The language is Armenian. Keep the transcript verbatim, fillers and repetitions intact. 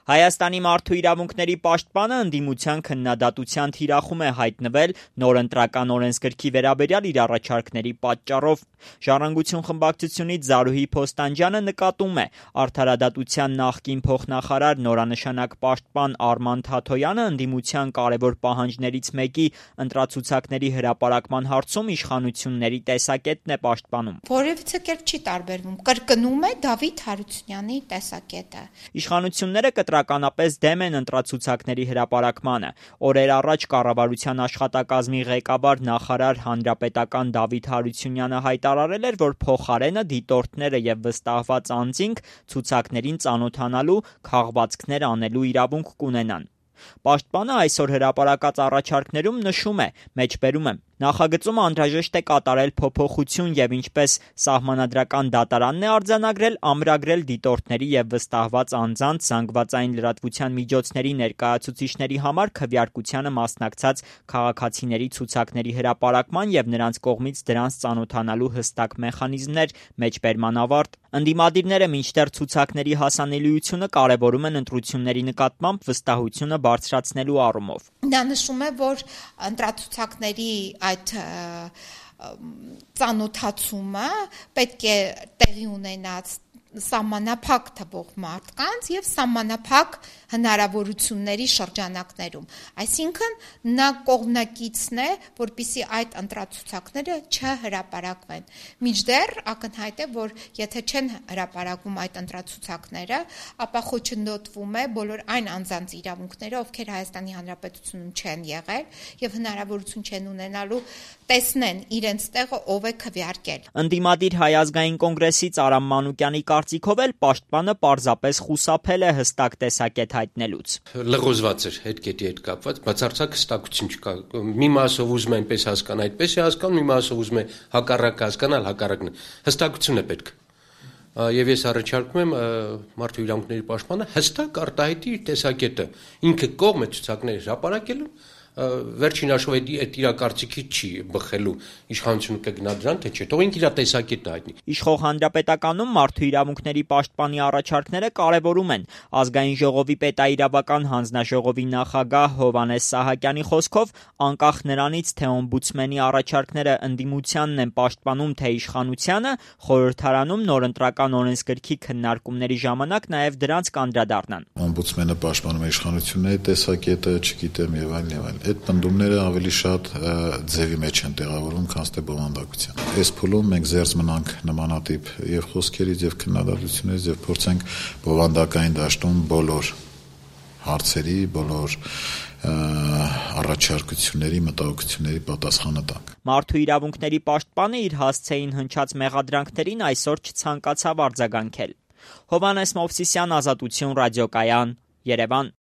Հայաստանի մարդու իրավունքների պաշտպանը ընդդիմության քննադատության թիրախում է հայտնվել նոր ընտրական օրենսգրքի վերաբերյալ իր առաջարկների պատճառով։ Ժառանգություն խմբակցությունից Զարուհի Փոստանջյանը նկատում է, արդարադատության նախկին փոխնախարար նորանշանակ պաշտպան Արման Թաթոյանը ընդդիմության կարևոր պահանջներից մեկի ընտրացուցակների հրապարակման հարցում իշխանությունների տեսակետն է պաշտպանում։ Որևիցե կերպ չի տարբերվում, կրկնում է Դավիթ Հարությունյանի տեսակետը։ Իշխանությունները կտրականապես դեմ են ընտրացուցակների հրապարակմանը։ Օրեր առաջ կառավարության աշխատակազմի ղեկավար նախարար հանրապետական Դավիթ Հարությունյանը հայտարարել էր, որ փոխարենը դիտորդները եւ վստահված անձինք ցուցակներին ծանոթանալու, քաղվածքներ անելու իրավունք կունենան։ Պաշտպանը այսօր հրապարակած առաջարկներում նշում է, մեջբերում եմ, նախագծում անհրաժեշտ է կատարել փոփոխություն եւ ինչպես սահմանադրական դատարանն է արձանագրել, ամրագրել դիտորդների եւ վստահված անձանց զանգվածային լրատվության միջոցների ներկայացուցիչների համար քվեարկությանը մասնակցած քաղաքացիների ցուցակների հրապարակման եւ նրանց կողմից դրանց ծանոթանալու հստակ մեխանիզմներ, մեջբերման ավարտ։ Ընդդիմադիրները մինչդեռ ցուցակների հասանելիությունը կարևորում են ընտրությունների նկատմամբ վստահությունը բարձրացնելու առումով։ Նա նշում է, որ ընտրացուցակների այդ ծանոթացումը պետք է տեղի ունենած սահմանափակ թվող մարդկանց եւ սահմանափակ հնարավորությունների շրջանակներում, այսինքն նա կողմնակիցն է, որպեսզի այդ ընտրացուցակները չհրապարակվեն։ Մինչդեռ ակնհայտ է, որ եթե չեն հրապարակվում այդ ընտրացուցակները, ապա խոչընդոտվում է բոլոր այն անձանց իրավունքները, ովքեր Հայաստանի Հանրապետությունում չեն եղել եւ հնարավորություն չեն ունենալու տեսնեն իրենց տեղը ով է քվեարկել։ Ընդդիմադիր Հայ ազգային կոնգրեսից Արամ Մանուկյանի կարծիքով էլ պաշտպանը պարզապես խուսափել է հստակ տեսակետ հայտնելուց։ Լղոզված էր հետ կետի հետ կապված, բացարձակ հստակություն չկա։ Մի մասով ուզում է այնպես հասկանալ, այդպես է հասկանում, մի մասով ուզում է հակառակ հասկանալ, հակառակն է։ Հստակություն է պետք։ Եվ ես առաջարկում եմ մարդու իրավունքների պաշտպանը հստակ արտահայտի իր տեսակետը։ Ինքը կողմ է ցուցակների հրապարակելու, վերջին հաշվով այդ իր կարծիքից չի բխելու, իշխանությունը կգնա դրան, թե չէ, թող ինքը իր տեսակետը հայտնի։ Իշխող հանրապետականում մարդու իրավունքների պաշտպանի առաջարկները կարևորում են։ Ազգային ժողովի պետաիրավական հանձնաժողովի նախագահ Հովհաննես Սահակյանի խոսքով, անկախ նրանից, թե օմբուդսմենի առաջարկները ընդդիմությանն են պաշտպանում, թե իշխանությանը, խորհրդարանում նոր ընտրական օրենսգրքի քննարկումների ժամանակ նաև դրանց կանդրադառնան։ Օմբուդսմենը պաշտպանում է իշխանությունների տեսակետը, չգիտեմ եւ այլն եւ այլն։ Այդ պնդումները ավելի շատ ձևի մեջ են տեղավորվում, քան թե բովանդակության։ Այս փուլում մենք զերծ մնանք նմանատիպ եւ խոսքերից եւ քննադատություններից եւ փորձենք բովանդակային դաշտում բոլոր հարցերի, բոլոր առաջարկությունների, մտահոգությունների պատասխանը տանք։ Մարդու իրավունքների պաշտպանը իր հասցեին հնչած մեղադրանքներին այսօր չցանկացավ արձագանքել։ Հովհաննես Մովսիսյան, Ազատություն ռադիոկայան, Երևան։